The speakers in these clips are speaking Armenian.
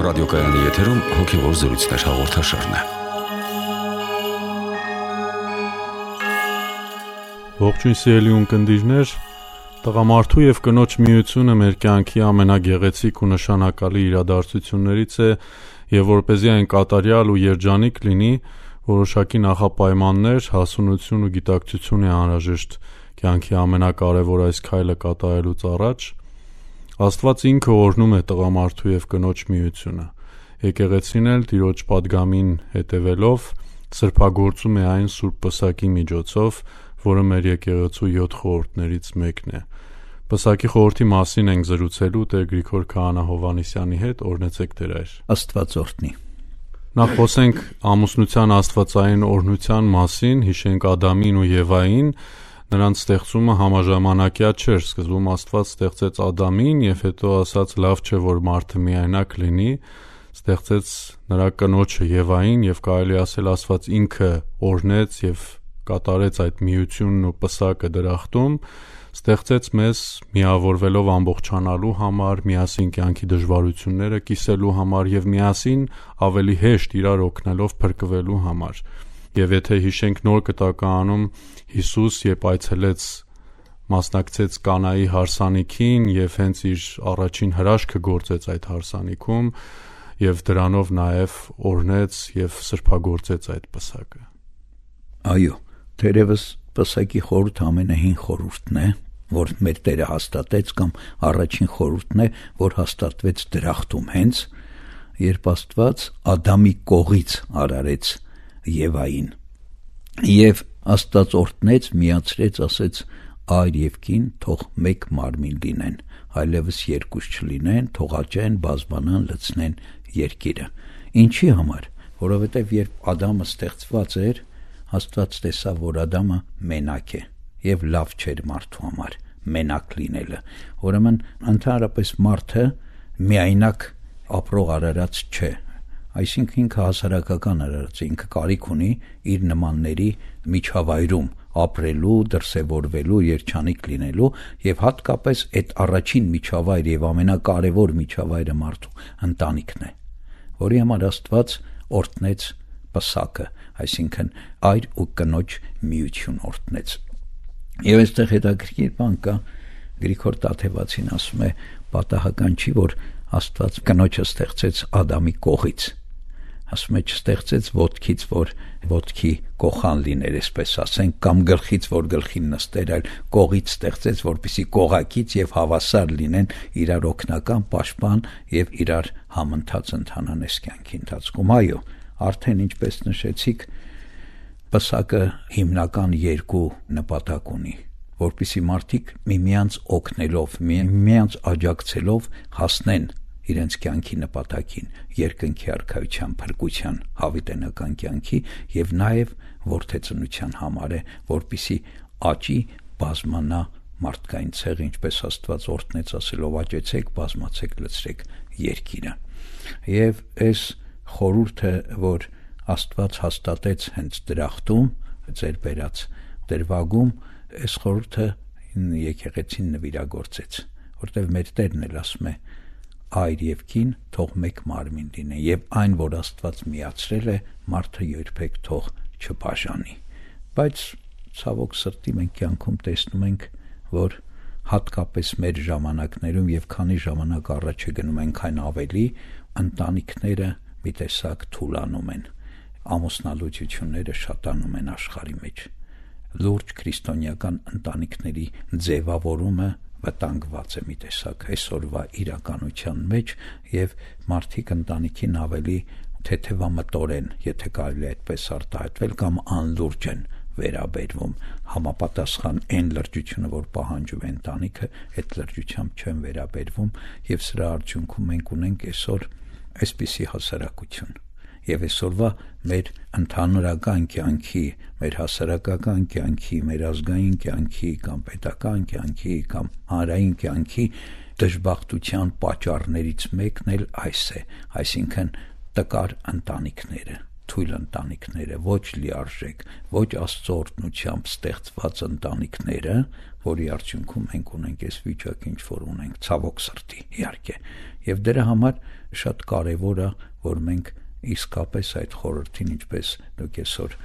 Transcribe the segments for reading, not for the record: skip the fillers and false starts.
ռադիոկայանի եթերում հոգևոր զրույցներ հաղորդաշարն է։ Ողջույն սիրելի ունկնդիրներ, տղամարդու եւ կնոջ միությունը մեր կյանքի ամենագեղեցիկ ու նշանակալի իրադարձություններից է, եւ որպեսզի այն կատարյալ ու երջանիկ լինի, որոշակի նախապայմաններ, հասունություն ու գիտակցություն է անհրաժեշտ կյանքի ամենակարևոր այս քայլը կատարելուց առաջ։ Աստված ինքը օրհնում է տղամարդու եւ կնոջ միությունը։ Եկեղեցին էլ Տիրոջ պատգամին հետևելով սրբագործում է այն Սուրբ Պսակի միջոցով, որը մեր եկեղեցու 7 խորհուրդներից մեկն է։ Պսակի խորհրդի մասին ենք զրուցելու Տեր Գրիգոր Քահանա Հովհաննիսյանի հետ, օրհնեցեք Տեր այր։ Աստված օրհնի։ Նախ խոսենք ամուսնության աստվածային օրհնության մասին, հիշենք Ադամին ու Եվային։ Նրանց ստեղծումը համաժամանակյա չէր, սկզբում Աստված ստեղծեց Ադամին եւ հետո ասաց լավ չէ որ մարդը միայնակ լինի, ստեղծեց նրա կնոջը Եվային եւ կարելի ասել Աստված ինքը օրհնեց եւ կատարեց այդ միությունն ու պսակը դրախտում, ստեղծեց մեզ միավորվելով ամբողջանալու համար, միասին կյանքի դժվարությունները կիսելու համար եւ միասին ավելի հեշտ իրար օգնելով փրկվելու համար։ Եվ եթե հիշենք Նոր Կտակարանում Հիսուս երբ այցելեց մասնակցեց Կանայի հարսանիքին եւ հենց իր առաջին հրաշքը գործեց այդ հարսանիքում եւ դրանով նաեւ օրհնեց եւ սրբագործեց այդ պսակը։ Այո, թերևս պսակի խորհուրդը ամենահին խորհուրդն է, որ մեր Տերը հաստատեց կամ առաջին խորհուրդն է, որ հաստատվեց դրախտում հենց երբ Աստված Ադամի կողից արարեց Եվային եւ Աստված օրհնեց, միացրեց, ասեց այր եւ կին թող մեկ մարմին լինեն, այլևս երկուս չլինեն, թող աճեն, բազբանան, լցնեն երկիրը։ Ինչի համար? Որովհետեւ երբ Ադամը ստեղծված էր, Աստված տեսավ, որ Ադամը մենակ է եւ լավ չէր մարդու համար մենակ լինելը։ Ուրեմն ընդհանրապես մարդը միայնակ ապրող արարած չէ։ Այսինքն ինքը հասարակական արարած է, ինքը կարիք ունի իր նմանների միջավայրում ապրելու, դրսևորվելու, երջանիկ լինելու եւ հատկապես այդ առաջին միջավայր եւ ամենակարևոր միջավայրը մարդու ընտանիքն է, որի համար Աստված օրհնեց պսակը, այսինքն այր ու կնոջ միություն օրհնեց։ Եվ այստեղ հետաքրքիր բան կա, Գրիգոր Տաթևացին ասում է, պատահական չի, որ Աստված կնոջը ստեղծեց Ադամի կողից, ասում է չստեղծեց ոտքից, որ ոտքի կողան լիներ, այսպես ասենք, կամ գլխից, որ գլխին նստեր, այլ կողից ստեղծեց, որպեսզի կողակից եւ հավասար լինեն, իրար օգնական, պաշտպան եւ իրար համընթաց ընթանան այս կյանքի ընթացքում։ Այո, արդեն ինչպես նշեցիք, պսակը հիմնական երկու նպատակ ունի, որպեսզի մարդիկ միմյանց օգնելով, միմյանց աջակցելով հասնեն իրենց կյանքի նպատակին, երկնքի արքայության, փրկության, հավիտենական կյանքի եւ նաեւ որդեծնության համար է, որպեսզի աճի, բազմանա մարդկային ցեղը, ինչպես Աստված օրհնեց ասելով աճեցեք, բազմացեք, լցրեք երկիրը։ Եվ այս խորհուրդը, որ Աստված հաստատեց հենց դրախտում, ձեր բերած դրվագում, այս խորհուրդը եկեղեցին նվիրագործեց, որտեղ մեր Տերն էլ ասում է այր եւ կին թող մեկ մարմին լինեն եւ այն, որ Աստված միացրել է, մարդը երբեք թող չբաժանի։ Բայց ցավոք սրտի մենք կյանքում տեսնում ենք, որ հատկապես մեր ժամանակներում եւ քանի ժամանակ առաջ է գնում այնքան ավելի, ընտանիքները մի տեսակ թուլանում են, ամուսնալուծությունները շատանում են աշխարհի մեջ։ Լուրջ քրիստոնեական ընտանիքների ձևավորումը վտանգված է մի տեսակ այսօրվա իրականության մեջ եւ մարդիկ ընտանիքին ավելի թեթևամտորեն, եթե կարելի է այդպես արտահայտվել, կամ անլուրջ են վերաբերվում, համապատասխան այն լրջությունը, որ պահանջում է ընտանիքը, այդ լրջությամբ չեն վերաբերվում եւ սրա արդյունքում մենք ունենք այսօր այսպիսի հասարակություն։ Եվ այսօրվա մեր ընդհանրական կյանքի, մեր հասարակական կյանքի, մեր ազգային կյանքի կամ պետական կյանքի կամ հանրային կյանքի դժբախտության պատճառներից մեկն էլ այս է, այսինքն տկար ընտանիքները, թույլ ընտանիքները, ոչ լիարժեք, ոչ Աստծո օրհնությամբ ստեղծված ընտանիքները, որի արդյունքում մենք ունենք այս վիճակը, ինչ որ ունենք, ցավոք սրտի, իհարկե։ Եվ դրա համար շատ կարևոր է, որ մենք իսկապես այդ խորհրդին, ինչպես դուք այսօր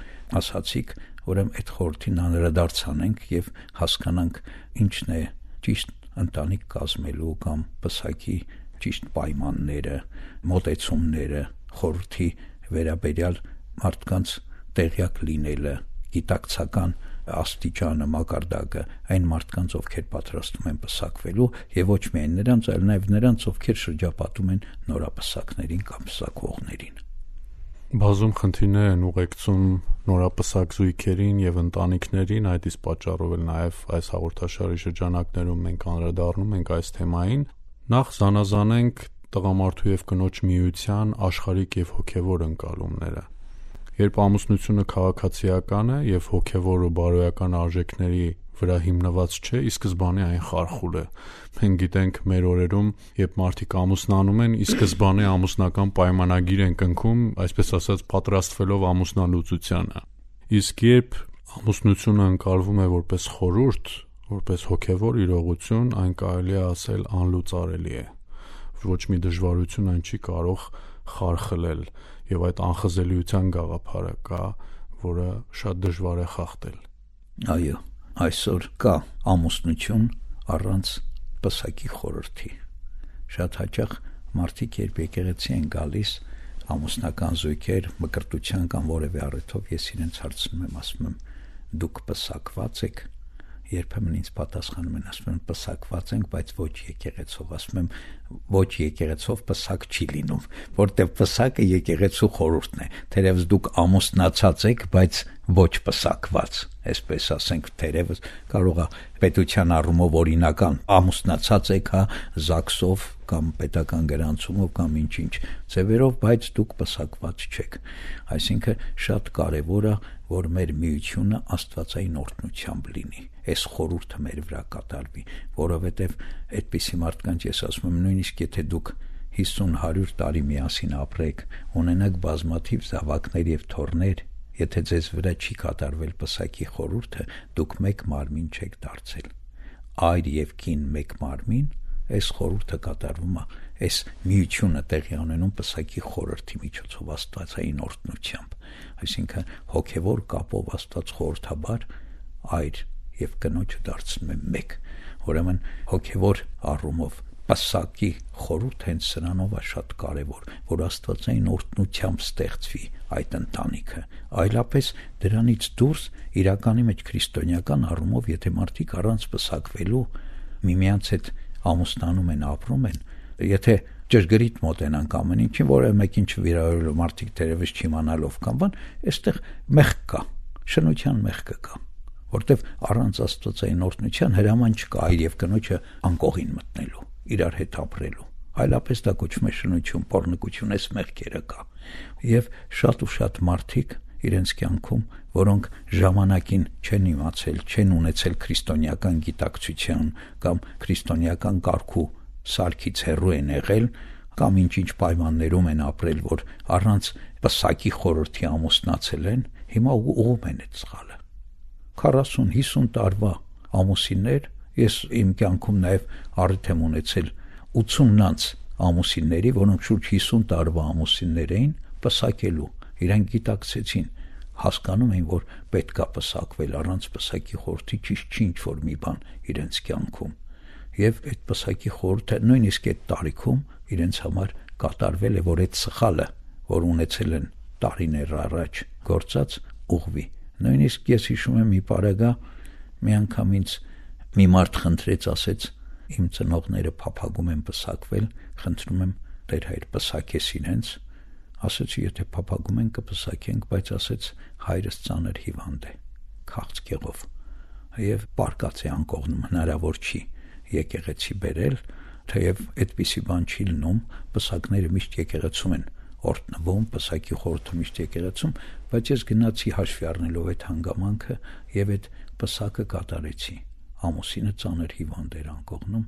ասացիք, ուրեմն այդ խորհրդին անդրադարձ անենք եւ հասկանանք ինչն է ճիշտ ընտանիք կազմելու կամ պսակի ճիշտ պայմանները, մոտեցումները, խորհրդի վերաբերյալ մարդկանց տեղյակ լինելը, գիտակցական աստիճանը, մակարդակը այն մարդկանց, ովքեր պատրաստվում են պսակվելու եւ ոչ միայն նրանց, այլ նաեւ նրանց, ովքեր շրջապատում են նորապսակներին կամ պսակվողներին։ Բազում խնդիրներ են ուղեկցում նորապսակ զույգերին եւ ընտանիքներին, այդ իսկ պատճառով էլ նաեւ այս հաղորդաշարի շրջանակներում մենք անդրադառնում ենք այս թեմային։ Նախ զանազանենք տղամարդու եւ կնոջ միության աշխարհիկ եւ հոգեվոր ընկալումները։ Երբ ամուսնությունը քաղաքացիական է եւ հոգեվոր ու բարոյական արժեքների վրա հիմնված չէ, ի սկզբանե այն խարխուլ է։ Մենք գիտենք մեր օրերում, երբ մարդիկ ամուսնանում են, ի սկզբանե ամուսնական պայմանագիր են կնքում, այսպես ասած, պատրաստվելով ամուսնալուծությանը։ Իսկ երբ ամուսնությունը ընկալվում է որպես խորհուրդ, որպես հոգեվոր իրողություն, այն կարելի է ասել անլուծարելի է։ Ոչ մի դժվարություն այն չի կարող խարխլել, եւ այդ անխզելիության գաղափարը կա, որը շատ դժվար է խախտել։ Այո, այսօր կա ամուսնություն առանց պսակի խորհրդի։ Շատ հաճախ մարդիկ երբ եկեղեցի են գալիս, ամուսնական զույգեր մկրտության կամ որևէ առիթով, ես իրենց հարցնում եմ, ասում եմ, դուք պսակված եք։ Երբեմն ինձ պատասխանում են, ասում են, պսակված ենք, բայց ոչ եկեղեցով։ Ասում եմ, ոչ եկեղեցով պսակ չի լինում, որտեղ պսակը եկեղեցու խորհուրդն է։ Թերևս դուք ամուսնացած եք, բայց ոչ պսակված, այսպես ասենք, թերևս կարող է պետության առումով օրինական ամուսնացած եք, հա, ԶԱԳՍ-ով կամ պետական գրանցումով կամ ինչ-ինչ ձևերով, բայց դուք պսակված չեք։ Այսինքն շատ կարևոր է, որ մեր միությունը աստվածային օրհնությամբ լինի, այս խորհուրդը մեր վրա կատարվի, որովհետև այդպիսի մարդկանց ես ասում եմ, նույնիսկ եթե դուք 50-100 տարի միասին ապրեք, ունենաք բազմաթիվ զավակներ եւ թոռներ, եթե ձեզ վրա չի կատարվել պսակի խորհուրդը, դուք մեկ մարմին չեք դարձել։ Այր եւ կին մեկ մարմին, այս խորհուրդը կատարվում է, այս միությունը տեղի ունենում պսակի խորհրդի միջոցով աստվածային օրհնությամբ։ Այսինքն հոգեվոր կապով Աստված խորհրդաբար այր եւ կնոջը դարձնում է մեկ։ Ուրեմն հոգեվոր առումով պսակի խորհուրդ հենց սրանով է շատ կարևոր, որ աստվածային օրհնությամբ ստեղծվի այդ ընտանիքը։ Այլապես դրանից դուրս իրականի մեջ քրիստոնեական առումով, եթե մարդիկ առանց պսակվելու միմյանց հետ ամուսնանում են, ապրում են, եթե ճշգրիտ մոտենանք ամեն ինչին, որը մեկին չվիրավորելու մարդիկ թերևս չիմանալով կամ բան, այստեղ մեղք կա, շնության մեղքը կա, որտեվ առանց աստվածային օրհնության հրաման չկա այր եւ կնոջը անկողին մտնելու, իրար հետ ապրելու, այլապես դա կոչվում է շնություն, պոռնկություն, այս մեղքերը կա։ Եվ շատ ու շատ մարդիկ իրենց կյանքում, որոնք ժամանակին չեն իմացել, չեն ունեցել քրիստոնեական գիտակցության կամ քրիստոնեական կարգու սարքից հեռու են եղել, կամ ինչ-ինչ պայմաններում են ապրել, որ առանց պսակի խորհրդի ամուսնացել են, հիմա ուղում են այդ սխալը։ 40-50 տարվա ամուսիններ, ես իմ կյանքում նաև առիթ եմ ունեցել 80-նանց ամուսինների, որոնք շուրջ 50 տարվա ամուսիններ էին, պսակելու, իրանք գիտակցեցին, հասկանում էին, որ պետք է պսակվել, առանց պսակի խորհրդի ճիշտ չի ինչ-որ մի բան իրենց կյանքում։ Եվ այդ պսակի խորհուրդը նույնիսկ այդ տարիքում իրենց համար կատարվել է, որ այդ սխալը, որ ունեցել են տարիներ առաջ գործած, ուղղվի։ Նույնիսկ ես հիշում եմ մի պարագա, մի անգամ ինձ մի մարդ խնդրեց, ասեց, իմ ծնողները փափագում են պսակվել, խնդրում եմ Տեր Հայր պսակես իրենց։ Ասեցի, եթե փափագում են կպսակենք, բայց ասեց հայրս ծանր հիվանդ է, քաղցկեղով, եւ պարկած է անկողնում, հնարավոր չի եկեղեցի բերել, թեև այդպիսի բան չի լինում, պսակները միշտ եկեղեցում են օրհնվում, պսակի խորհուրդը միշտ եկեղեցում, բայց ես գնացի հաշվի առնելով այդ հանգամանքը եւ այդ պսակը կատարեցի։ Ամուսինը ծանր հիվանդ էր անկողնում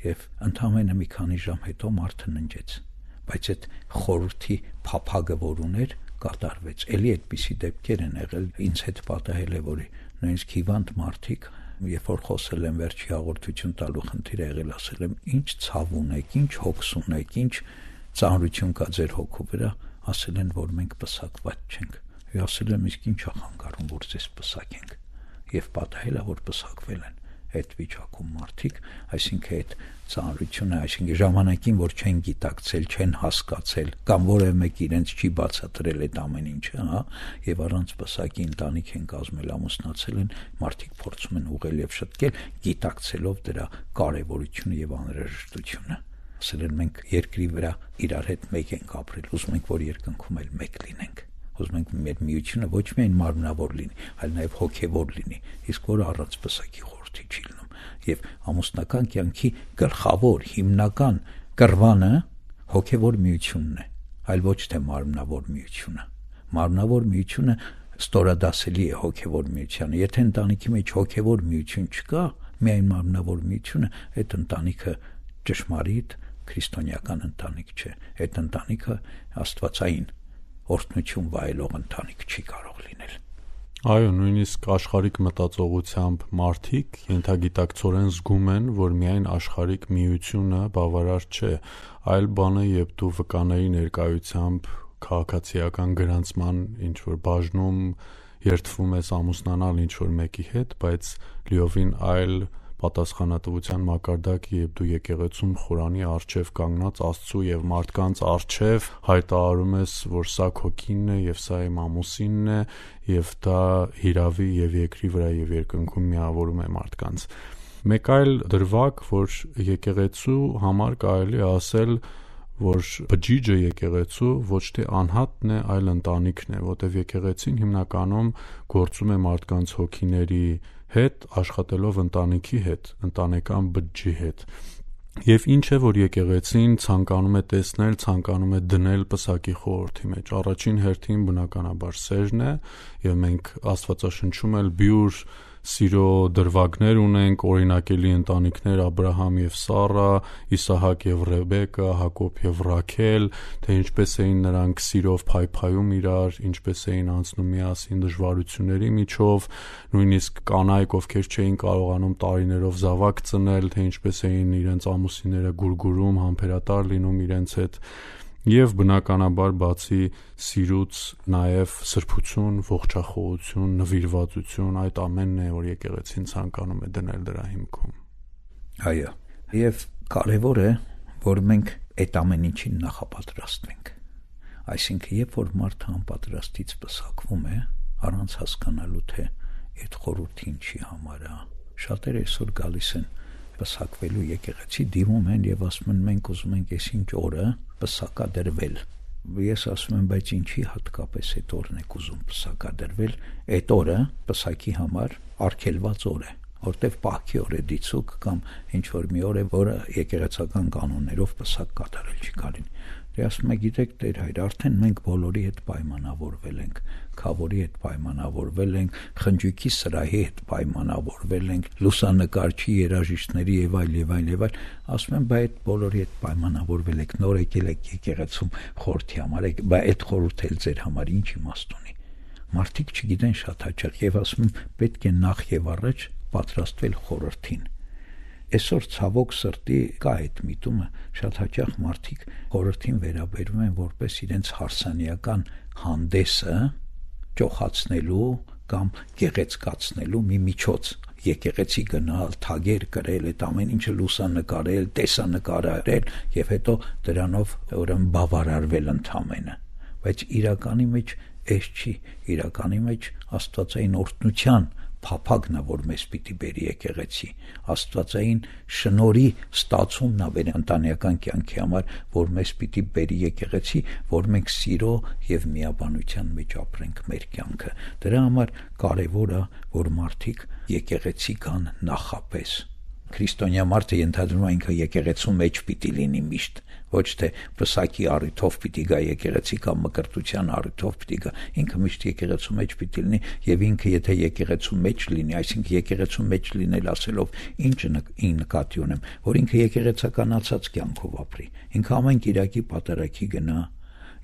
եւ ընդամենը մի քանի ժամ հետո մարդը ննջեց, բայց այդ խորհրդի փափագը որ ուներ, կատարվեց։ Էլի այդպիսի դեպքեր են եղել, ինձ հետ պատահել է, որ նույնիսկ հիվանդ մարդիկ, երբ որ խոսել եմ վերջի հաղորդություն տալու խնդիր եղել, ասել եմ, ինչ ցավ ունեք, ինչ հոգս ունեք, ինչ ծանրություն կա ձեր հոգու վրա, ասել են, որ մենք պսակված չենք։ Ես ասել եմ, իսկ ինչ է խանգարում, որ ձեզ պսակենք։ Եվ պատահել է, որ պսակվել են այդ վիճակում մարդիկ, այսինքն այդ ծանրությունը, այսինքն ժամանակին, որ չեն գիտակցել, չեն հասկացել, կամ որևէ մեկ իրենց չի բացատրել այդ ամեն ինչը, հա, եւ առանց պսակի ընտանիք են կազմել, ամուսնացել են, մարդիկ փորձում են ուղղել եւ շտկել, գիտակցելով դրա կարեւորությունը եւ անհրաժեշտությունը։ Ասել են, մենք երկրի վրա իրար հետ մեկ ենք ապրել, ուզում ենք, որ երկնքում էլ մեկ լինենք։ Ուզում ենք մեր միությունը ոչ միայն մարմնավոր լինի, այլ նաև հոգևոր լինի, իսկ որ առանց պսակի խորհրդի չի լինում։ Եվ ամուսնական կյանքի գլխավոր, հիմնական կռվանը հոգևոր միությունն է, այլ ոչ թե մարմնավոր միությունը։ Մարմնավոր միությունը ստորադասելի է հոգևոր միությանը։ Եթե ընտանիքի մեջ հոգևոր միություն չկա, միայն մարմնավոր միությունը, այդ ընտանիքը ճշմարիտ քրիստոնեական ընտանիք չէ։ Այդ ընտանիքը աստվածային օրհնություն վայելող ընտանիք չի կարող լինել։ Այո, նույնիսկ աշխարհիկ մտածողությամբ մարդիկ ենթագիտակցորեն զգում են, որ միայն աշխարհիկ միությունը բավարար չէ, այլ բանը, երբ դու վկաների ներկայությամբ քաղաքացիական գրանցման ինչ որ բաժնում երթվում ես ամուսնանալ ինչ որ մեկի հետ, բայց լիովին այլ պատասխանատվության մակարդակ, երբ դու եկեղեցում Խորանի առջև կանգնած Աստծու եւ մարդկանց առջև հայտարարում ես, որ սա քո կինն է եւ սա իմ ամուսինն է եւ դա հիրավի եւ երկրի վրա եւ երկնքում միավորում է մարդկանց։ Մեկ այլ դրվագ, որ եկեղեցու համար կարելի է ասել, որ բջիջը եկեղեցու ոչ թե անհատն է, այլ ընտանիքն է, որտեղ եկեղեցին հիմնականում գործում է մարդկանց հոգիների հետ, աշխատելով ընտանիքի հետ, ընտանեկան բջջի հետ։ Եվ ինչ է, որ եկեղեցին ցանկանում է տեսնել, ցանկանում է դնել պսակի խորհրդի մեջ։ Առաջին հերթին բնականաբար սերն է, եւ մենք Աստվածաշնչում էլ բյուր սիրո դրվագներ ունենք, օրինակելի ընտանիքներ Աբրահամ եւ Սառա, Իսահակ եւ Ռեբեկա, Հակոբ եւ Ռաքել, թե ինչպես էին նրանք սիրով փայփայում իրար, ինչպես էին անցնում միասին դժվարությունների միջով, նույնիսկ կանայք, ովքեր չէին կարողանում տարիներով զավակ ծնել, թե ինչպես էին իրենց ամուսինները գուրգուրում, համբերատար լինում իրենց հետ։ Եվ բնականաբար բացի սիրուց նաև սրբություն, ողջախոհություն, նվիրվածություն, այդ ամենն է, որ եկեղեցին ցանկանում է դնել դրա հիմքում։ Այո, եւ կարեւոր է, որ մենք այդ ամեն ինչին նախապատրաստվենք։ Այսինքն, երբ որ մարդը անպատրաստից պսակվում է, առանց հասկանալու թե այդ խորհուրդը ինչի համար է, շատերը այսօր գալիս են պսակվելու եկեղեցի, դիմում են եւ ասում են, մենք ուզում ենք այսինչ օրը պսակադրվել։ Ես ասում եմ, բայց ինչի հատկապես այդ օրն եք ուզում պսակադրվել։ Այդ օրը պսակի համար արգելված օր է, որտեվ պահքի օր է դիցուկ կամ ինչ որ մի օր է, որը եկեղեցական կանոններով պսակ կատարել չի կարելի։ Դե ասում եք, գիտեք, Տեր հայր, արդեն մենք բոլորի հետ պայմանավորվել ենք, քավորի հետ պայմանավորվել ենք, խնջույքի սրահի հետ պայմանավորվել ենք, լուսանկարչի, երաժիշտների եւ այլ եւ այլ եւ այլ։ Ասում եմ, բայց այդ բոլորի հետ պայմանավորվել եք, նոր եկել եք եկեղեցում խորհրդի համար, բայց այդ խորհուրդը էլ ձեր համար ինչ իմաստ ունի։ Մարդիկ չգիտեն շատ հաճախ եւ ասում են, պետք է նախ եւ առաջ պատրաստվել խորհրդին։ Այսօր ցավոք սրտի կա այդ միտումը, շատ հաճախ մարդիկ խորհրդին վերաբերում են որպես իրենց հարսանիական հանդեսը ճոխացնելու կամ գեղեցկացնելու մի միջոց։ Եկեղեցի գնալ, թագեր կրել, այդ ամեն ինչը լուսանկարել, տեսանկարել եւ հետո դրանով ուրեմն բավարարվել ընդամենը։ Բայց իրականի մեջ էս չի, իրականի մեջ աստվածային օրհնության փափագն է, որ մեզ պիտի բերի եկեղեցի, աստվածային շնորհի ստացումն է մեր ընտանեկան կյանքի համար, որ մեզ պիտի բերի եկեղեցի, որ մենք սիրո եւ միաբանության մեջ ապրենք մեր կյանքը։ Դրա համար կարեւոր է, որ մարդիկ եկեղեցի կան նախապես։ Քրիստոնյա մարդը ենթադրում է ինքը եկեղեցու մեջ պիտի լինի միշտ, ոչ թե պսակի առիթով պիտի գա եկեղեցի կամ մկրտության առիթով պիտի գա, ինքը միշտ եկեղեցու մեջ պիտի լինի եւ ինքը եթե եկեղեցու մեջ լինի, այսինքն եկեղեցու մեջ լինել ասելով ինչ նկատի ունեմ, որ ինքը եկեղեցականացած կյանքով ապրի, ինքը ամեն կիրակի պատարագի գնա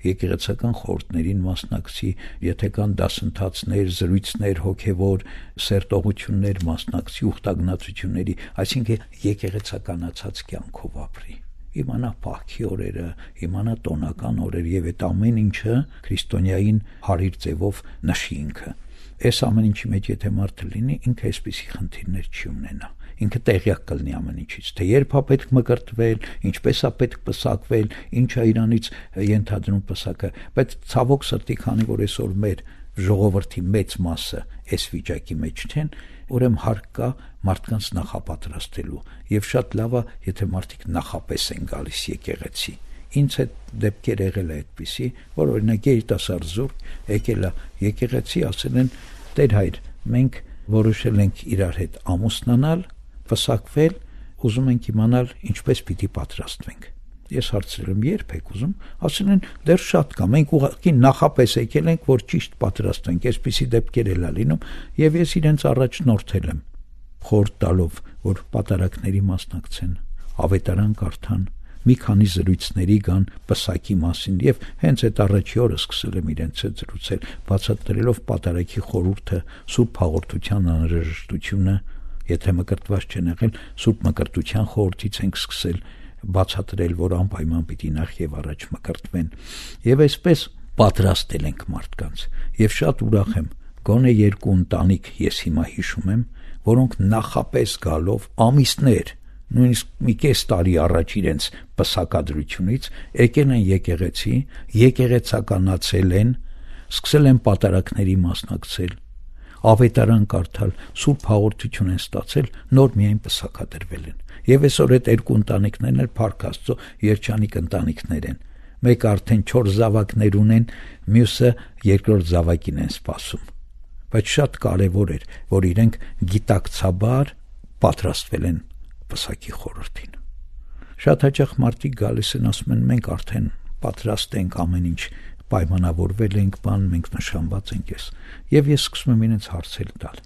եկեղեցական խորհուրդներին մասնակցի, եթե կան դասընթացներ, զրույցներ, հոգևոր սերտողություններ մասնակցի, ուխտագնացությունների, այսինքն եկեղեցականացած կյանքով ապրի։ Իմանա պահքի օրերը, իմանա տոնական օրեր եւ այդ ամեն ինչը քրիստոնյային հարիր ձևով նշի ինքը։ Այս ամեն ինչի մեջ եթե մարդը լինի, ինքը այսպիսի խնդիրներ չի ունենա։ Ինքը տեղյակ կլինի ամեն ինչից, թե երբ է պետք մկրտվել, ինչպես է պետք պսակվել, ինչ է իրանից ենթադրում պսակը, բայց ցավոք սրտի, քանի որ այսօր մեր ժողովրդի մեծ մասը այս վիճակի մեջ չեն, ուրեմն հարկ կա մարդկանց նախապատրաստելու եւ շատ լավ է, եթե մարդիկ նախապես են գալիս եկեղեցի։ Ինձ հետ դեպքեր եղել է այդպիսի, որ օրինակ երիտասարդ զուրկ եկել է եկեղեցի, ասել են՝ «Տեր հայր, մենք որոշել ենք իրար հետ ամուսնանալ, պսակվել, ուզում ենք իմանալ ինչպես պիտի պատրաստվենք»։ Ես հարցրել եմ՝ «Երբ եք ուզում»։ Ասել են՝ «Դեռ շատ կա, մենք ուղղակի նախապես եկել ենք, որ ճիշտ պատրաստվենք»։ Այսպիսի դեպքեր էլ է լինում եւ ես իրենց առաջնորդել եմ, խորհուրդ տալով, որ պատարագների մասնակցեն, ավետարան կարդան, մի քանի զրույցների գան պսակի մասին եւ հենց այդ առաջի օրը սկսել եմ իրենց հետ զրուցել, բացատրելով պատարագի խորհուրդը, սուրբ հաղորդության անհրաժեշտությունը, եթե մկրտված չեն եղել, սուրբ մկրտության խորհրդից ենք սկսել բացատրել, որ անպայման պիտի նախ եւ առաջ մկրտվեն եւ այսպես պատրաստել ենք մարդկանց եւ շատ ուրախ եմ, գոնե 2 ընտանիք ես հիմա հիշում եմ, որոնք նախապես գալով ամիսներ, նույնիսկ մի կես տարի առաջ իրենց պսակադրությունից եկել են եկեղեցի, եկեղեցականացել են, սկսել են պատարագների մասնակցել, ավետարան կարդալ, սուրբ հաղորդություն են ստացել, նոր միայն պսակադրվել են։ Եվ այսօր այդ 2 ընտանիքներն էլ Փառք Աստծո երջանիկ ընտանիքներ են։ Մեկը արդեն 4 զավակներ ունեն, մյուսը 2-րդ զավակին են սպասում։ Բայց շատ կարևոր էր, որ իրենք գիտակցաբար պատրաստվել են պսակի խորհրդին։ Շատ հաճախ մարդիկ գալիս են, ասում են՝ մենք արդեն պատրաստ ենք, ամեն ինչ պայմանավորվել ենք, մենք նշանված ենք ես։ Եվ ես սկսում եմ իրենց հարցեր տալ։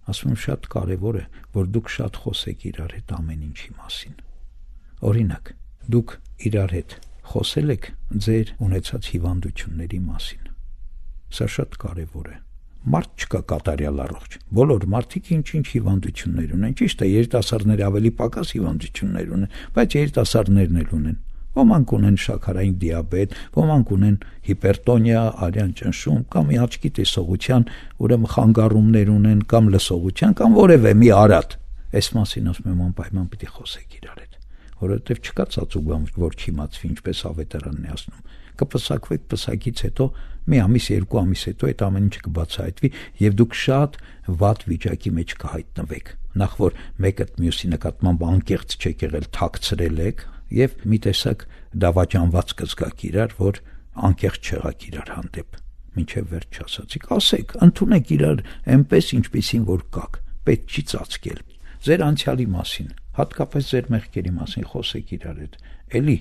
Ասում եմ՝ շատ կարևոր է, որ դուք շատ խոսեք իրար հետ ամեն ինչի մասին։ Օրինակ, դուք իրար հետ խոսել եք ձեր ունեցած հիվանդությունների մասին։ Սա շատ կարևոր է։ Մարդ չկա կատարյալ առողջ։ Բոլոր մարդիկ ինչ-ինչ հիվանդություններ ունեն։ Ճիշտ է, երիտասարդները ավելի պակաս հիվանդություններ ունեն, բայց երիտասարդներն էլ ունեն։ Ոմանք ունեն շաքարային դիաբետ, ոմանք ունեն հիպերտոնիա, արյան ճնշում, կամ աչքի տեսողության, ուրեմն խանգարումներ ունեն, կամ լսողության, կամ որևէ մի արատ։ Այս մասին ասում եմ անպայման պիտի խոսեք իրար հետ, որովհետև չկա ծածուկ բան, որ չիմացվի, ինչպես ավետարանն է ասում։ Կպսակվեք, պսակից հետո մի ամիս, 2 ամիս հետո այդ ամեն ինչը կբացահայտվի եւ դուք շատ վատ վիճակի մեջ կհայտնվեք։ Նախ որ մեկը մյուսի նկատմամբ անկեղծ չեք եղել, թաքցրել եք եւ մի տեսակ դավաճանված կզգաք իրար, որ անկեղծ չեղաք իրար հանդեպ։ Մինչեւ վերջ չասացիք, ասեք, ընդունեք իրար այնպես, ինչպեսին որ կաք, պետք չի ծածկել։ Ձեր անցյալի մասին, հատկապես ձեր մեղքերի մասին խոսեք իրար հետ։ Էլի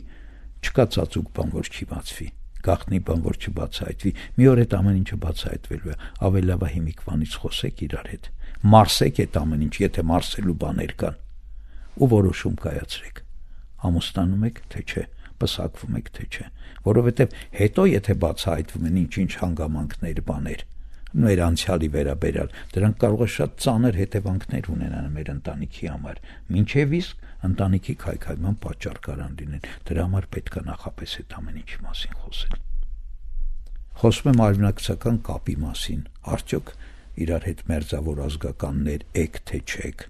չկա ծածուկ բան, որ չի բացվի, գաղտնի բան, որ չբացահայտվի։ Մի օր այդ ամեն ինչը բացահայտվելու է, ավելի լավ է հիմիկվանից խոսեք իրար հետ, մարսեք այդ ամեն ինչ, եթե մարսելու բաներ կան, ու որոշում կայացրեք, ամուսնանում եք, թե չէ, պսակվում եք, թե չէ, որովհետև հետո եթե բացահայտվում են ինչ-ինչ հանգամանքներ, բաներ, մեր անցյալի վերաբերյալ, դրանք կարող է շատ ծանր հետևանքներ ունենան մեր ընտանիքի համար, մինչև իսկ ընտանիքի քայքայման պատճառ կարան լինեն։ Դրա համար պետք է նախապես այդ ամեն ինչի մասին խոսել։ Խոսում եմ արևնակցական կապի մասին, արդյոք իրար հետ մերձավոր ազգականներ եք թե չեք,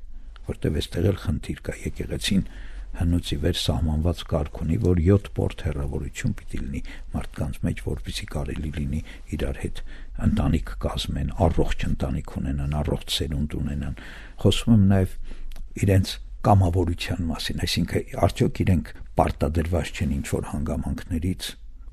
որտեղ այստեղ էլ խնդիր կա, եկեղեցին հնուց ի վեր սահմանված կարգ ունի, որ 7 պորտ հեռավորություն պիտի լինի մարդկանց մեջ, որպեսզի կարելի լինի իրար հետ ընտանիք կազմեն, առողջ ընտանիք ունենան, առողջ սերունդ ունենան։ Խոսում եմ նաև իրենց կամավորության մասին, այսինքն արդյոք իրենք պարտադրված չեն ինչ-որ հանգամանքներից,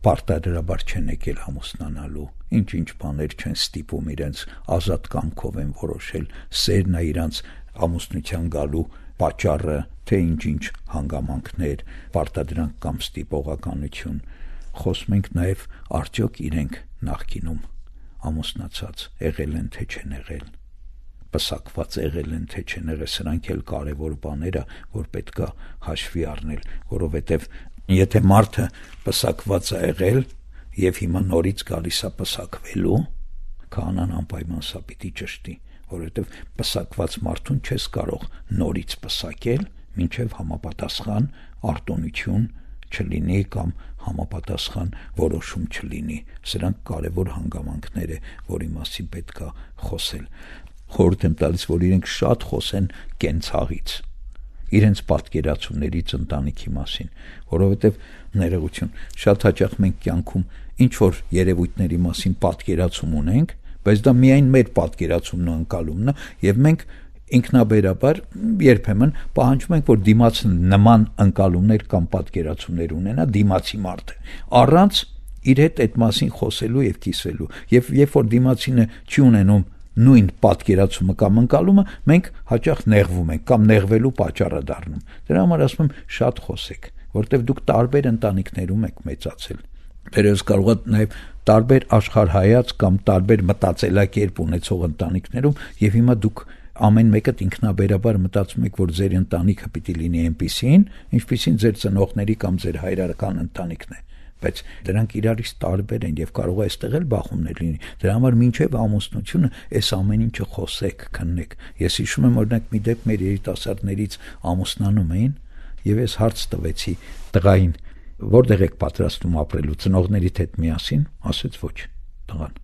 պարտադրաբար չեն եկել ամուսնանալու, ինչ-ինչ բաներ չեն ստիպում իրենց, ազատ կամքով են որոշել, սերն է իրանց ամուսնության գալու պատճառը, թե ինչ-ինչ հանգամանքներ, պարտադրանք կամ ստիպողականություն։ Խոսում ենք նաև արդյոք իրենք նախկինում ամուսնացած եղել են թե չեն եղել, պսակված եղել են թե չեն եղել, սրանք էլ կարևոր բաներ է, որ պետք է հաշվի առնել, որովհետև եթե մարդը պսակված է եղել, եւ հիմա նորից գալիս է պսակվելու, քահանան անպայման սա պիտի ճշտի, որովհետեւ պսակված մարդուն չես կարող նորից պսակել, մինչեւ համապատասխան արտոնություն չլինի կամ համապատասխան որոշում չլինի։ Սրանք կարևոր հանգամանքներ է, որի մասին պետք է խոսել։ Խորհուրդ եմ տալիս, որ իրենք շատ խոսեն կենցաղից, իրենց պատկերացումներից ընտանիքի մասին, որովհետև ներողություն, շատ հաճախ մենք կյանքում ինչ որ երևույթների մասին պատկերացում ունենք, բայց դա միայն մեր պատկերացումն ու ընկալումն է, եւ մենք ինքնաբերաբար երբեմն պահանջում ենք, որ դիմացը նման ընկալումներ կամ պատկերացումներ ունենա դիմացի մարդը, առանց իր հետ այդ մասին խոսելու եւ կիսվելու։ Եվ երբ որ դիմացինը չի ունենում նույն պատկերացումը կամ ընկալումը, մենք հաճախ նեղվում ենք կամ նեղվելու պատճառը դառնում։ Դրա համար ասում եմ, շատ խոսեք, որտեղ դուք տարբեր ընտանիքներում եք մեծացել։ Դերևս կարող է նաև տարբեր աշխարհայաց կամ տարբեր մտածելակերպ ունեցող ընտանիքներում, եւ հիմա դուք ամեն մեկը ինքնաբերաբար մտածում եք, որ ձեր ընտանիքը պիտի լինի այնպիսին, ինչպիսին ձեր ծնողների կամ ձեր հայրական ընտանիքն է, բայց դրանք իրարից տարբեր են եւ կարող է այստեղ էլ բախումներ լինի։ Դրա համար մինչեւ ամուսնությունը այս ամեն ինչը խոսեք, քննեք։ Ես հիշում եմ օրինակ մի դեպք մեր երիտասարդներից ամուսնանում էին եւ ես հարց տվեցի տղային, որտեղ եք պատրաստում ապրելու, ծնողներիդ հետ միասին, ասեց ոչ, տղան։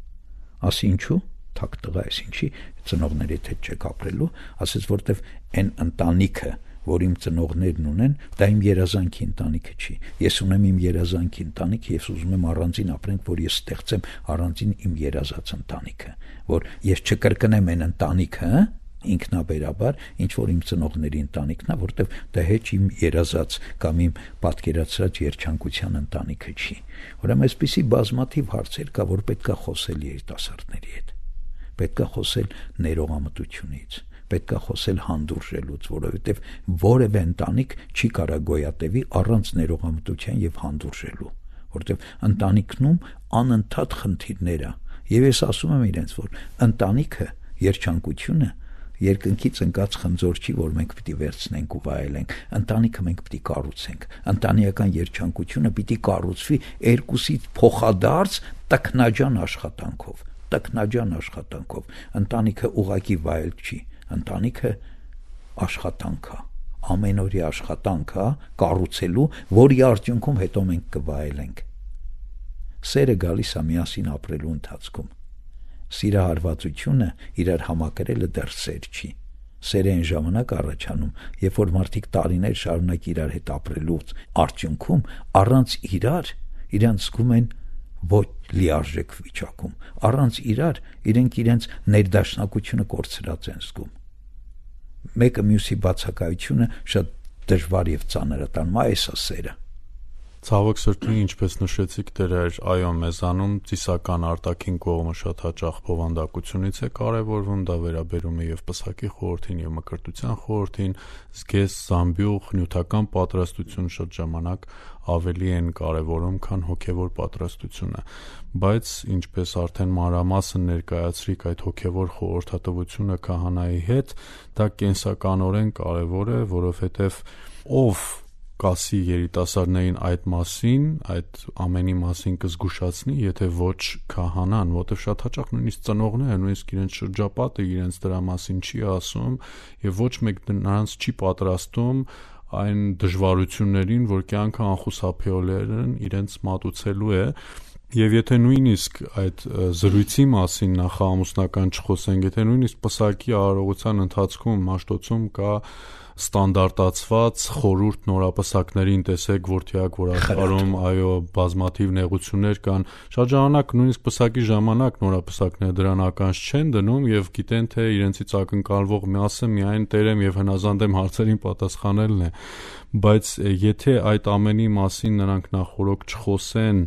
Ասի ինչու՞։ Թակ տղա ես, ինչի ծնողներիդ հետ չեք ապրելու, ասեց որտեվ այն ընտանիքը, որ իմ ծնողներն ունեն, դա իմ երազանքի ընտանիքը չի։ Ես ունեմ իմ երազանքի ընտանիք, ես ուզում եմ առանձին ապրենք, որ ես ստեղծեմ առանձին իմ երազած ընտանիքը, որ ես չկրկնեմ այն ընտանիքը, ինքնաբերաբար, ինչ որ իմ ծնողների ընտանիքն է, որտեվ դա հեչ իմ երազած կամ իմ պատկերացրած երջանկության ընտանիքը չի։ Ուրեմն այսպիսի բազմաթիվ հարցեր կա, որ պետք է խոսել երիտասարդների հետ։ Պետք է խոսել ներողամտությունից, պետք է խոսել հանդուրժելուց, որովհետև որևէ ընտանիք չի կարող գոյատևի առանց ներողամտության եւ հանդուրժելու, որովհետև ընտանիքնում անընդհատ խնդիրներ կա։ Եվ ես ասում եմ իրենց, որ ընտանիքը, երջանկությունը երկնքից ընկած խնձոր չի, որ մենք պիտի վերցնենք ու վայելենք։ Ընտանիքը մենք պիտի կառուցենք։ Ընտանեկան երջանկությունը պիտի կառուցվի երկուսից փոխադարձ տքնաջան աշխատանքով։ Տքնաջան աշխատանքով։ Ընտանիքը ուղակի վայել չի, ընտանիքը աշխատանք է, ամենօրյա աշխատանք է կառուցելու, որի արդյունքում հետո մենք կվայելենք։ Սերը գալիս է միասին ապրելու ընթացքում։ Սիրահարվածությունը իրար համակրելը դեռ սեր չի։ Սերը այն ժամանակ առաջանում, երբ որ մարդիկ տարիներ շարունակ իրար հետ ապրելուց արդյունքում առանց իրար իրանց զգում են ոչ լիարժեք վիճակում, առանց իրար իրենք իրենց ներդաշնակությունը կորցրած են զգում։ Մեկը մյուսի բացակայությունը շատ դժվար եւ ծանր է տանում, այս է սերը։ Ցավոք սրտի, ինչպես նշեցիք դեր, այո, մեզանում ծիսական արտաքին կողմը շատ հաճախ բովանդակությունից է կարևորվում, դա վերաբերում է եւ պսակի խորհրդին եւ մկրտության խորհրդին, զգես, զամբյուղ, նյութական պատրաստություն շատ ժամանակ ավելի են կարևորում, քան հոգեվոր պատրաստությունը, բայց ինչպես արդեն մանրամասն ներկայացրիք այդ հոգեվոր խորհրդատվությունը քահանայի հետ, դա կենսականորեն կարևոր է, որովհետեւ ով կասի երիտասարդներին այդ մասին, այդ ամենի մասին կզգուշացնի, եթե ոչ քահանան, որտեղ շատ հաճախ նույնիսկ ծնողները, նույնիսկ իրենց շրջապատը իրենց դրա մասին չի ասում եւ ոչ մեկ նրանց չի պատրաստում այն դժվարություններին, որ կյանքը անխուսափելիորեն իրենց մատուցելու է։ Եվ եթե նույնիսկ այդ զրույցի մասին նախամուսնական չխոսենք, եթե նույնիսկ պսակի արարողության ընթացքում մաշտոցում կա ստանդարտացված խորհուրդ նորապսակներին, տեսեք որտեղ որ աշխարհում այո բազմաթիվ նեղություններ կան, շատ ժամանակ նույնիսկ պսակի ժամանակ նորապսակները դրան ականջ չեն դնում եւ գիտեն թե իրենցից ակնկալվող մասը միայն տերեմ եւ հնազանդեմ հարցերին պատասխանելն է, բայց եթե այդ ամենի մասին նրանք նախորոք չխոսեն,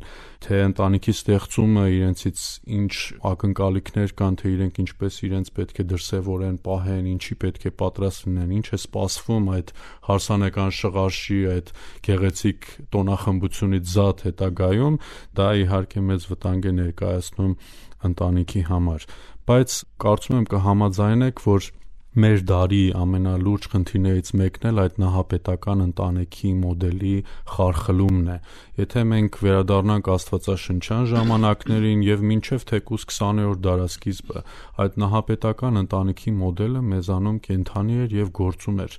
թե ընտանիքի ստեղծումը իրենցից ինչ ակնկալիքներ կան, թե իրենք ինչպես իրենց պետք է դրսևորեն, պահեն, ինչի պետք է պատրաստ լինեն, ինչ է սպասվում այդ հարսանեկան շղարշի, այդ գեղեցիկ տոնախմբությունից զատ հետագայում, դա իհարկե մեծ վտանգ է ներկայացնում ընտանիքի համար։ Բայց կարծում եմ կհամաձայնեք, որ մեր դարի ամենալուրջ խնդիրներից մեկն էլ այդ նահապետական ընտանիքի մոդելի խարխլումն է։ Եթե մենք վերադառնանք աստվածաշնչյան ժամանակներին եւ մինչեւ թեկուզ 20-րդ դարասկիզբը, այդ նահապետական ընտանիքի մոդելը մեզանում կենդանի էր եւ գործում էր։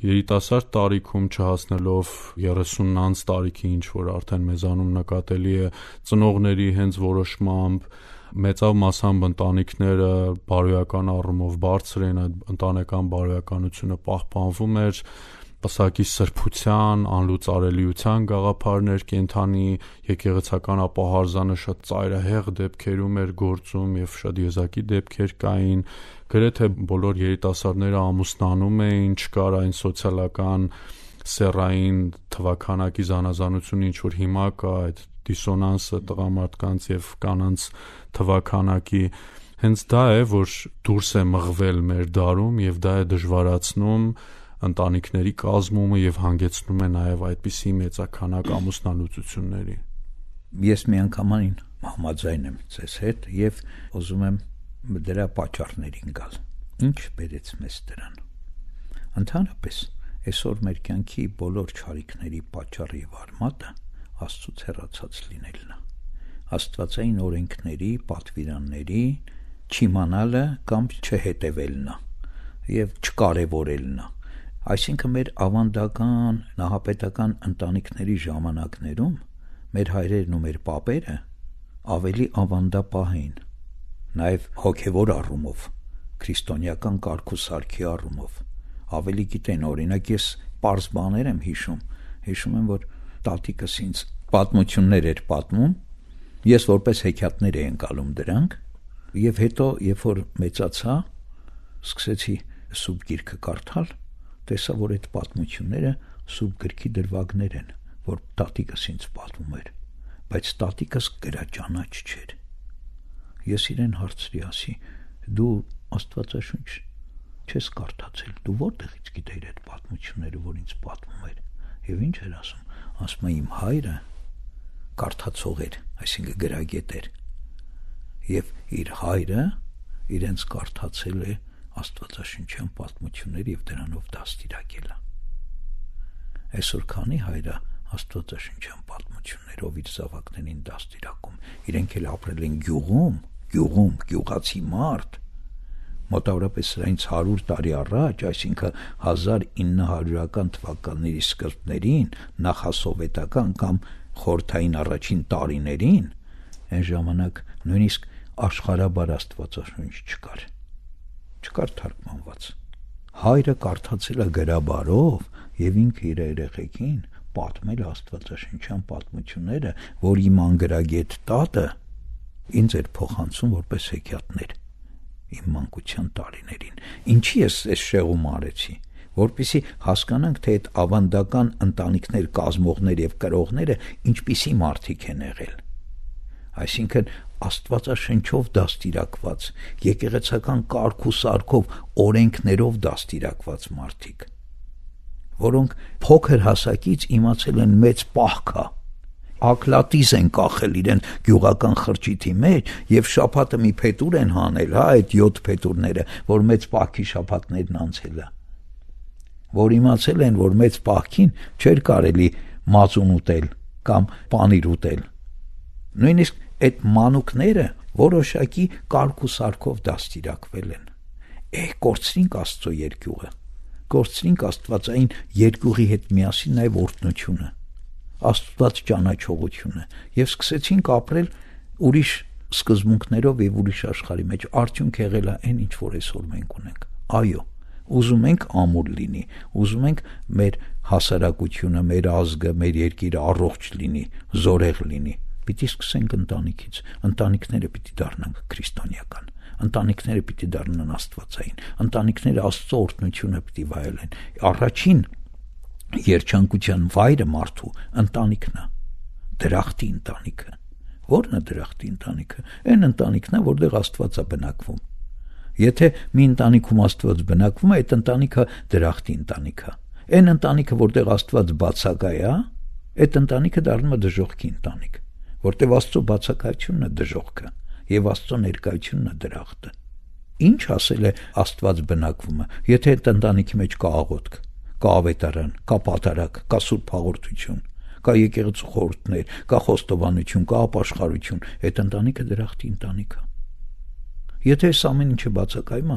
Երիտասարդ տարիքում չհասնելով 30-ն անց տարիքի, ինչ որ արդեն մեզանում նկատելի է ծնողների հենց որոշմամբ, մեծավ մասամբ ընտանիքները բարոյական առումով բարձր են, այդ ընտանեկան բարոյականությունը պահպանվում էր, պսակի սրբության, անլուծարելիության գաղափարներ կենդանի, եկեղեցական ապահարզանը շատ ծայրահեղ դեպքերում էր գործում եւ շատ եզակի դեպքեր կային, գրեթե բոլոր երիտասարդները ամուսնանում էին, չկար այն սոցիալական սեռային թվաքանակի զանազանությունը, ինչ որ հիմա կա, այդ դիսոնանսը տղամարդկանց եւ կանանց թվաքանակի, հենց դա է, որ դուրս է մղվել մեր դարում եւ դա է դժվարացնում ընտանիքների կազմումը եւ հանգեցնում է նաեւ այդպիսի մեծաքանակ ամուսնալուծությունների։ Ես միանգամայն համաձայն եմ ձեզ հետ եւ ուզում եմ դրա պատճառներին գալ։ Ինչ բերեց մեզ դրան։ Ընդհանրապես այսօր մեր կյանքի բոլոր չարիքների պատճառը եւ արմատը Աստծուց հեռացած լինելն է։ Աստվածային օրենքների, պատվիրանների չիմանալը կամ չհետևելն է եւ չկարևորելն է։ Այսինքն մեր ավանդական նահապետական ընտանիքների ժամանակներում մեր հայրերն ու մեր պապերը ավելի ավանդապահ էին, նաեւ հոգեվոր առումով, քրիստոնեական կարգ ու սարքի առումով ավելի գիտեն։ Օրինակ ես պարզ բաներ եմ հիշում եմ, որ տատիկս ինձ պատմություններ էր պատմում, ես որպես հեքիաթներ էի ընկալում դրանք, եւ հետո երբ որ մեծացա, սկսեցի Սուրբ Գիրքը կարդալ, տեսա, որ այդ պատմությունները Սուրբ Գրքի դրվագներ են, որ տատիկս ինձ պատմում էր, բայց տատիկս գրաճանաչ չէր։ Ես իրեն հարցրի, ասի, դու Աստվածաշունչ չես կարդացել, դու որտեղից գիտեիր այդ պատմությունները, որ ինձ պատմում էր։ Եվ ինչ էր ասում։ Ասում է, իմ հայրը կարդացող էր, այսինքն գրագետ էր, եւ իր հայրը իրենց կարդացել է Աստվածաշնչյան պատմությունները եւ դրանով դաստիարակել է։ Այսօր քանի հայրը Աստվածաշնչյան պատմություններով իր զավակներին դաստիարակում, իրենք էլ ապրել են գյուղում, գյուղացի մարդ, մոտավորապես սրանից 100 տարի առաջ, այսինքն 1900-ական թվականների սկզբներին, նախասովետական կամ խորհրդային առաջին տարիներին, այն ժամանակ նույնիսկ աշխարհաբար Աստվածաշունչ չկար թարգմանված։ Հայրը կարդացել է գրաբարով եւ ինքը իր երեխեքին պատմել Աստվածաշնչյան պատմությունները, որ իմ անգրագետ տատը ինձ էր փոխանցում որպես հեքիաթներ իմ մանկության տարիներին։ Ինչի ես այս շեղում արեցի, որպեսզի հասկանանք, թե այդ ավանդական ընտանիքներ կազմողներ եւ կրողները ինչպիսի մարդիկ են եղել։ Այսինքն Աստվածաշնչով դաստիարակված, եկեղեցական կարգ ու սարքով, օրենքներով դաստիարակված մարդիկ, որոնք փոքր հասակից իմացել են մեծ պահքա, ակլատիզ են կախել իրեն գյուղական խրճիթի մեջ եւ շաբաթը մի փետուր են հանել, այդ 7 փետուրները, որ մեծ պահքի շաբաթներն անցել է, որ իմացել են, որ մեծ պահքին չէր կարելի մածուն ուտել կամ պանիր ուտել։ Նույնիսկ այդ մանուկները որոշակի կարգ ու սարքով դաստիարակվել են։ Կորցրինք Աստծո երկյուղը, կորցրինք Աստվածային երկյուղի հետ միասին նաեւ օրհնությունը, Աստված ճանաչողությունը եւ սկսեցինք ապրել ուրիշ սկզբունքներով եւ ուրիշ աշխարհի մեջ։ Արդյունք եղել է այն, ինչ որ այսօր մենք ունենք։ Այո, ուզում ենք ամուր լինի, ուզում ենք մեր հասարակությունը, մեր ազգը, մեր երկիրը առողջ լինի, զորեղ լինի։ Պիտի սկսենք ընտանիքից։ Ընտանիքները պիտի դառնան քրիստոնեական, ընտանիքները պիտի դառնան աստվածային, ընտանիքները Աստծո օրհնությունը պիտի վայելեն։ Առաջին երջանկության վայրը մարդու ընտանիքն է, դրախտի ընտանիքը։ Ո՞րն է դրախտի ընտանիքը։ Այն ընտանիքն է, որտեղ Աստված է բնակվում։ Եթե մի ընտանիքում Աստված բնակվում է, այդ ընտանիքը դրախտի ընտանիք է։ Այն ընտանիքը, որտեղ Աստված բացակայ է, այդ ընտանիքը դառնում է դժոխքի ընտանիք, որտեղ Աստծո բացակայությունն է դժոխքը եւ Աստծո ներկայությունն է դրախտը։ Ինչ ասել է Աստված բնակվում է, եթե այդ ընտանիքի մեջ կա աղոթք, կա ավետարան, կա պատարագ, կա սուրբ հաղորդություն, կա եկեղեցու խորհուրդներ, կա խոստովանություն, կա ապաշխարություն, այդ ընտանիքը դրախտի ընտանիք է։ Եթե այս ամեն ինչը բացակայում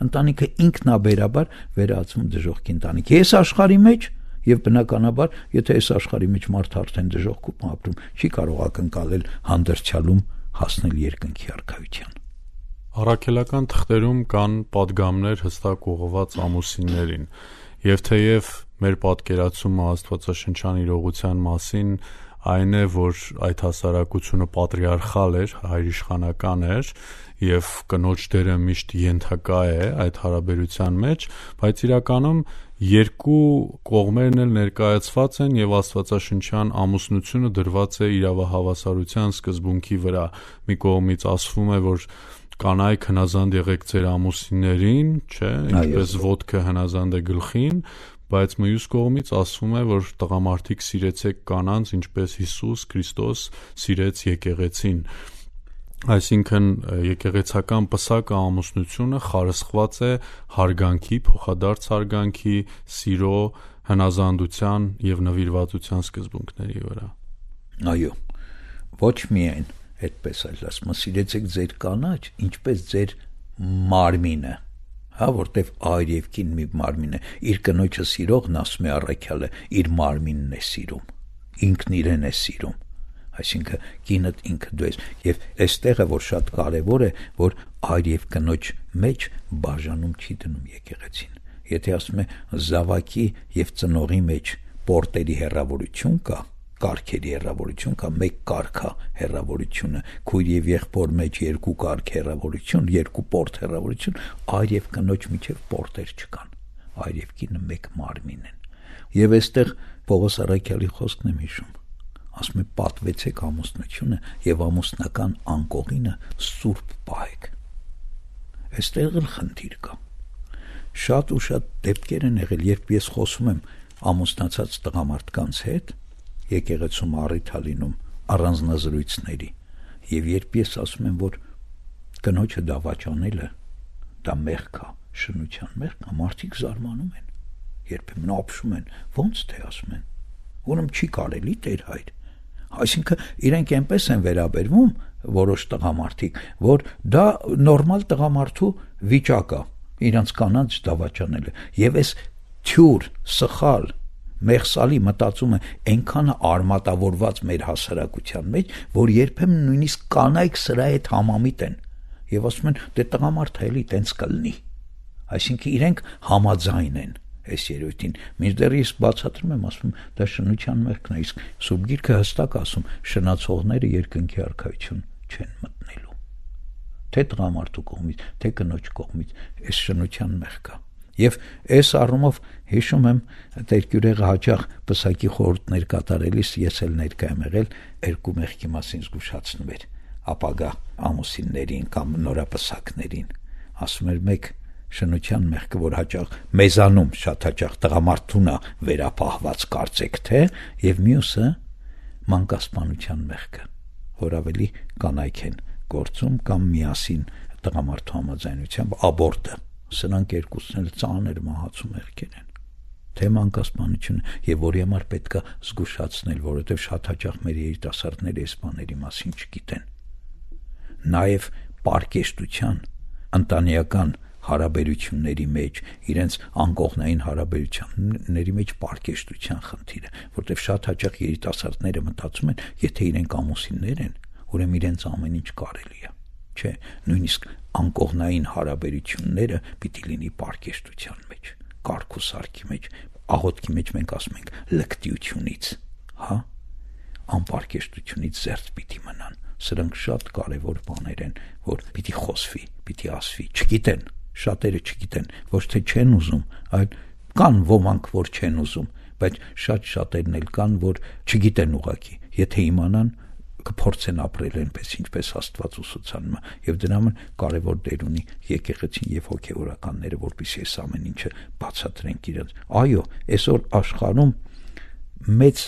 ընտանիքը ինքնաբերաբար վերածվում դժոխքի ընտանիք։ Այս աշխարհի մեջ եւ բնականաբար, եթե այս աշխարհի մեջ մարդը արդեն դժոխքում ապրում, չի կարող ակնկալել հանդերձյալում հասնել երկնքի արքայության։ Առաքելական թղթերում կան պատգամներ հստակ ուղղված ամուսիններին, եւ թեև մեր պատկերացումը աստվածաշնչյան իրողության մասին այն է, որ այդ հասարակությունը պատրիարխալ էր, հայրիշխանական էր, եւ կնոջ դերը միշտ ենթակա է այդ հարաբերության մեջ, բայց իրականում երկու կողմերն էլ ներկայացված են եւ աստվածաշնչյան ամուսնությունը դրված է իրավահավասարության սկզբունքի վրա։ Մի կողմից ասվում է, որ կանայք հնազանդ եղեք ձեր ամուսիններին, չէ, ինչպես ոտքը հնազանդ է գլխին, բայց մյուս կողմից ասվում է, որ տղամարդիկ սիրեցեք կանանց, ինչպես Հիսուս Քրիստոս սիրեց եկեղեցին։ Այսինքն եկեղեցական պսակը ամուսնությունը խարսխված է հարգանքի, փոխադարձ հարգանքի, սիրո, հնազանդության եւ նվիրվածության սկզբունքների վրա։ Այո, ոչ միայն այդպես այլ ասում, սիրեցեք ձեր կանաչ, ինչպես ձեր մարմինը, որտեվ այր եւ կին մի մարմին է, իր կնոջը սիրողն ասում է առաքյալը, իր մարմինն է սիրում, ինքն իրեն է սիրում, այսինքն կինդ ինքը դու ես, եւ այստեղը որ շատ կարեւոր է, որ այր եւ կնոջ մեջ բաժանում չի դնում եկեղեցին։ Եթե ասում է զավակի եւ ծնողի մեջ պորտերի հեռավորություն կա, կարգերի հեռավորություն կա, մեկ կարգա հեռավորությունը, քույր եւ եղբոր մեջ երկու կարգ հեռավորություն, երկու պորտ հեռավորություն, այր եւ կնոջ միջև պորտեր չկան, այր եւ կինը մեկ մարմին են։ Եվ այստեղ Պողոս առաքյալի խոսքն եմ հիշում, ասում է պատվեցեք ամուսնությունը եւ ամուսնական անկողինը սուրբ պահեք։ Այստեղ էլ խնդիր կա։ Շատ ու շատ դեպքեր են եղել, երբ ես խոսում եմ ամուսնացած տղամարդկանց հետ, եկեղեցում առիթ լինում առանձնազրույցների, եւ երբ ես ասում եմ, որ կնոջը դավաճանելը դա մեղք է, շնության մեղք է, մարդիկ զարմանում են, երբեմն ապշում են, ոնց թե ասում են, ուրեմն չի կարելի Տեր հայր։ Այսինքն իրենք այնպես են վերաբերվում որոշ տղամարդիկ, որ դա նորմալ տղամարդու վիճակ է, իրանց կանանց դավաճանելը, եւ այս թյուր, սխալ, մեղսալի մտածումը այնքան արմատավորված մեր հասարակության մեջ, որ երբեմն նույնիսկ կանայք սրա հետ համամիտ են եւ ասում են, դե տղամարդը էլի տենց կլինի։ Այսինքն իրենք համաձայն են այս երևույթին։ Մինչդեռ ես բացատրում եմ, ասում դա շնության մեղքն է, իսկ Սուրբ Գիրքը հստակ ասում, շնացողները երկնքի արքայություն չեն մտնելու։ Թե տղամարդու կողմից, թե կնոջ կողմից այս շնության մեղք է։ Եվ այս առումով հիշում եմ Տեր-Գյուրեղը հաճախ պսակի խորհուրդներ կատարելիս ես էլ ներկա եմ եղել երկու մեղքի մասին զգուշացնում էր ապագա ամուսիններին կամ նորապսակներին, ասում էր մեկ շնության մեղքը, որ հաճախ մեզանում շատ հաճախ տղամարդուն է վերապահված կարծեք թե, եւ մյուսը մանկասպանության մեղքը, որ ավելի կանայք են գործում կամ միասին տղամարդու համաձայնությամբ աբորտը, սրանք երկուսն էլ ծանր մահացու մեղքեր են, թե մանկասպանությունը, եւ որի համար պետք է զգուշացնել, որովհետեւ շատ հաճախ մեր երիտասարդները այս բաների մասին չգիտեն։ Նաեւ պարկեշտության, ընտանեկան հարաբերությունների մեջ, իրենց անկողնային հարաբերությունների մեջ պարկեշտության խնդիրը, որտեղ շատ հաճախ երիտասարդները մտածում են, եթե իրենք ամուսիններ են, ուրեմն իրենց ամեն ինչ կարելի է։ Չէ, նույնիսկ անկողնային հարաբերությունները պիտի լինի պարկեշտության մեջ, կարգ ու սարքի մեջ, աղոթքի մեջ մենք ասում ենք լկտիությունից, անպարկեշտությունից զերծ պիտի մնան։ Սրանք շատ կարևոր բաներ են, որ պիտի խոսվի, պիտի ասվի, չգիտեն, շատերը չգիտեն, ոչ թե չեն ուզում, այլ կան ոմանք, որ չեն ուզում, բայց շատերն էլ կան, որ չգիտեն ուղղակի, եթե իմանան կփորձեն ապրել այնպես, ինչպես Աստված ուսուցանում է, եւ դրա համար կարևոր դեր ունի եկեղեցին եւ հոգեվորականները, որպեսզի այս ամեն ինչը բացատրենք իրենց։ Այո, այսօր աշխարհում մեծ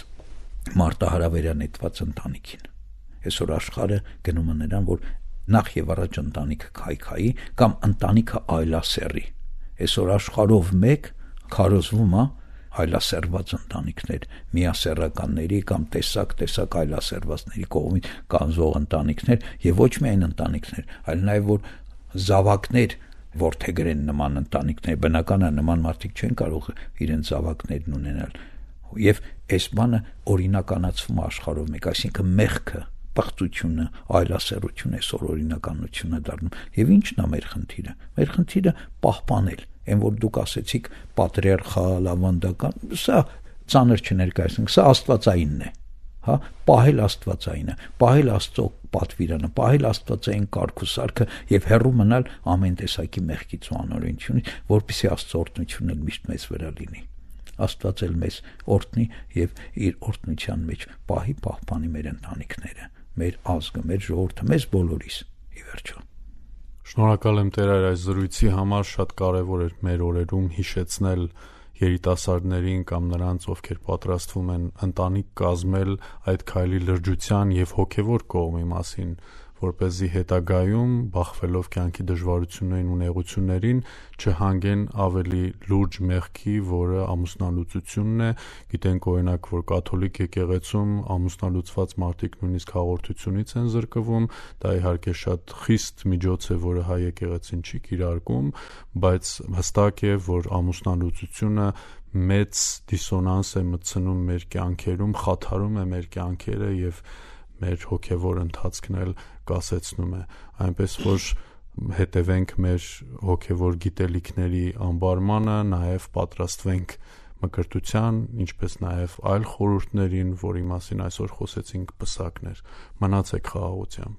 մարտահրավերանետված ընտանիքին, այսօր աշխարհը գնում է նրան, որ նախ եւ առաջ ընտանիքը քայքայի կամ ընտանիքը այլասեռի։ Այսօր աշխարհով մեկ քարոզվում է այլասեռված ընտանիքներ, միասեռականների կամ տեսակ այլասեռվածների կողմից կանզող ընտանիքներ եւ ոչ միայն ընտանիքներ, այլ նաեւ որ զավակներ որդեգրեն նման ընտանիքներ, բնական է նման մարդիկ չեն կարող իրենց զավակներն ունենալ։ Եվ այս բանը օրինականացվում է աշխարհով մեկ, այսինքն մեղքը, պղծությունը, այլասեռությունը այսօր օրինականություն է դառնում։ Եվ ի՞նչն է մեր խնդիրը։ Մեր խնդիրը պահպանել, այն որ դուք ասեցիք պատրիարխալ, ավանդական, սա ծանր չներկայացնենք, սա աստվածայինն է, հա, պահել աստվածայինը, պահել Աստծո պատվիրանը, պահել աստվածային կարգ ու սարքը եւ հեռու մնալ ամեն տեսակի մեղքից ու անօրենությունից, որպեսզի Աստծո օրհնությունը միշտ մեզ վրա լինի։ Աստված էլ մեզ օրհնի եւ իր օրհնության մեջ պահպանի մեր ընտանիքները, մեր ազգը, մեր ժողովուրդը, մեզ բոլորիս ի վերջո։ Շնորհակալ եմ Տեր այս զրույցի համար, շատ կարևոր էր մեր օրերում հիշեցնել երիտասարդներին կամ նրանց, ովքեր պատրաստվում են ընտանիք կազմել, այդ քայլի լրջության եւ հոգեվոր կողմի մասին, որպեսզի հետագայում, բախվելով կյանքի դժվարություններին ու նեղություններին, չհանգեն ավելի լուրջ մեղքի, որը ամուսնալուծությունն է։ Գիտենք օրինակ, որ կաթոլիկ եկեղեցում ամուսնալուծված մարդիկ նույնիսկ հաղորդությունից են զրկվում, դա իհարկե շատ խիստ միջոց է, որը հայ եկեղեցին չի կիրարկում, բայց հստակ է, որ ամուսնալուծությունը մեծ դիսոնանս է մտցնում մեր կյանքերում, խաթարում է մեր կյանքերը եւ մեր հոգևոր ընթացքն էլ կասեցնում է, այնպես որ հետևենք մեր հոգևոր գիտելիքների անբարմանը, նաև պատրաստվենք մկրտության, ինչպես նաև այլ խորհուրդներին, որի մասին այսօր խոսեցինք, պսակներ, մնացեք խաղաղությամբ։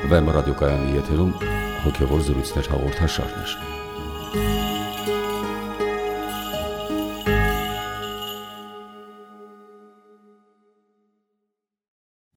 Վեմ ռադիոկայանի եթերում հոգևոր զրույցներ հաղորդաշարներ։